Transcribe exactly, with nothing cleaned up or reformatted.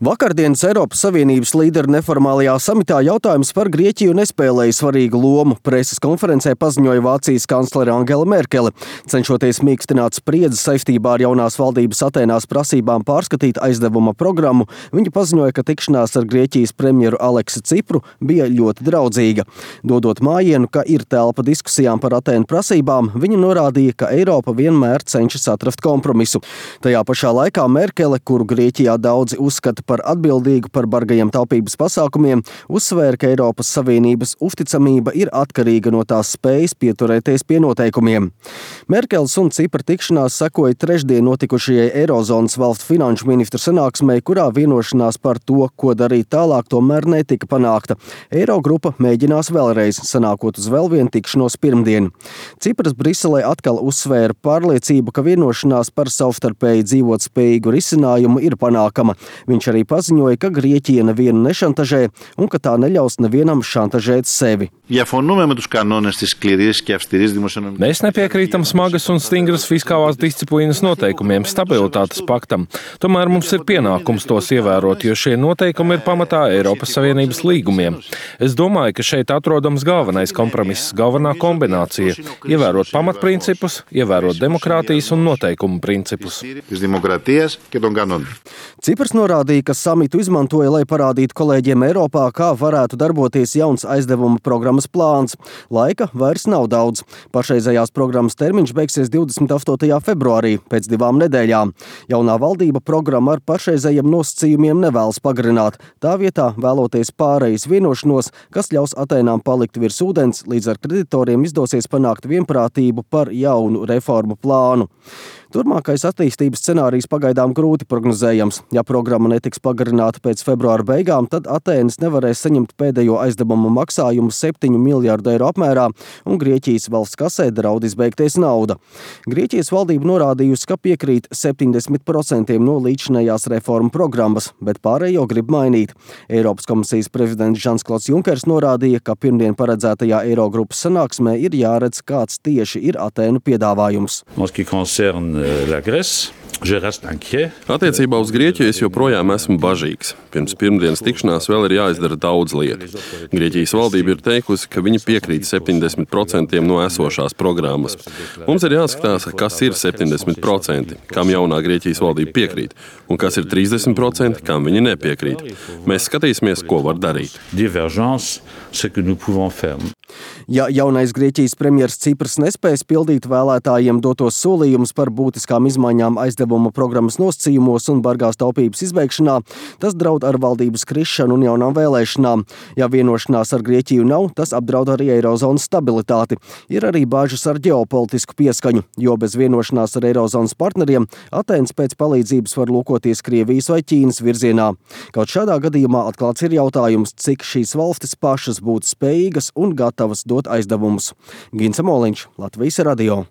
Vakardienas Eiropas Savienības līderu neformālajā samitā jautājums par Grieķiju nespēlēja svarīgu lomu. Preses konferencē paziņoja Vācijas kanclere Angela Merkele. Cenšoties mīkstināt spriedzi saistībā ar jaunās valdības Atēnās prasībām pārskatīt aizdevuma programmu, viņa paziņoja, ka tikšanās ar Grieķijas premjeru Aleksu Cipru bija ļoti draudzīga. Dodot mājienu, ka ir telpa diskusijām par Atēnu prasībām, viņa norādīja, ka Eiropa vienmēr cenšas atrast kompromisu. Tajā pašā laikā Merkele, kuru Grieķijā daudzi uzskata par atbildīgu par bargajiem taupības pasākumiem, uzsvēra, ka Eiropas Savienības uzticamība ir atkarīga no tās spējas pieturēties pie noteikumiem. Merkeles un Cipra tikšanās sekoja trešdien notikušajai Eirozonas valstu finanšu ministru sanāksmei, kurā vienošanās par to, ko darīt tālāk, tomēr netika panākta. Eirogrupa mēģinās vēlreiz, sanākot uz vēl vienu tikšanos pirmdien. Cipras Briselē atkal uzsvēra pārliecību, ka vienošanās par savstarpēji dzīvotspējīgu risinājumu ir panākama. Viņš arī paziņoja, ka Grieķija nevienu nešantažē un ka tā neļaus nevienam šantažēt sevi. Mēs nepiekrītam smagas un stingras fiskālās disciplīnas noteikumiem, stabilitātes paktam. Tomēr mums ir pienākums tos ievērot, jo šie noteikumi ir pamatā Eiropas Savienības līgumiem. Es domāju, ka šeit atrodams galvenais kompromiss, galvenā kombinācija – ievērot pamatprincipus, ievērot demokrātijas un noteikumu principus. Ciprs norādīja, ka samitu izmantoja, lai parādītu kolēģiem Eiropā, kā varētu darboties jauns aizdevuma programmas plāns. Laika vairs nav daudz. Pašreizējās programmas termiņš beigsies divdesmit astotajā februārī, pēc divām nedēļām. Jaunā valdība programmu ar pašreizējiem nosacījumiem nevēlas pagarināt. Tā vietā vēloties pārejas vienošanos, kas ļaus Atēnām palikt virs ūdens, līdz ar kreditoriem izdosies panākt vienprātību par jaunu reformu plānu. Turmākais attīstības scenārijs pagaidām grūti prognozējams. Ja programma netiks pagarināta pēc februāra beigām, tad Atēnas nevarēs saņemt pēdējo aizdevumu maksājumu septiņu miljārdu eiro apmērā, un Grieķijas valsts kasē draud izbeigties nauda. Grieķijas valdība norādījusi, ka piekrīt septiņdesmit procentiem no līdzinējās reformu programmas, bet pārējo grib mainīt. Eiropas komisijas prezidents Žans-Klods Junkers norādīja, ka pirmdien paredzētajā Eirogrupas sanāksmē ir jāredz, kāds tieši ir Atēnu piedāvājums. Attiecībā uz Grieķiju es joprojām esmu bažīgs. Pirms pirmdienas tikšanās vēl ir jāizdara daudz lietu. Grieķijas valdība ir teikusi, ka viņi piekrīt septiņdesmit procentiem no esošās programmas. Mums ir jāskatās, kas ir septiņdesmit procenti, kam jaunā Grieķijas valdība piekrīt, un kas ir trīsdesmit procenti, kam viņi nepiekrīt. Mēs skatīsimies, ko var darīt. Ja jaunais Grieķijas premjers Ciprs nespēs pildīt vēlētājiem dotos solījumus par būtiskām izmaiņām aizdevuma programmas nosacījumos un bargās taupības izbeigšanā, tas draud ar valdības krišanu un jaunām vēlēšanām. Ja vienošanās ar Grieķiju nav, tas apdraud arī Eirozonas stabilitāti. Ir arī bāžas ar ģeopolitisku pieskaņu, jo bez vienošanās ar Eirozonas partneriem Atēnas pēc palīdzības var lūkoties Krievijas vai Ķīnas virzienā. Kaut šādā gadījumā atklāts ir jautājums, cik šīs valstis pašas būtu spējīgas un gatavas dot aizdevumus. Gins Amoliņš, Latvijas radio.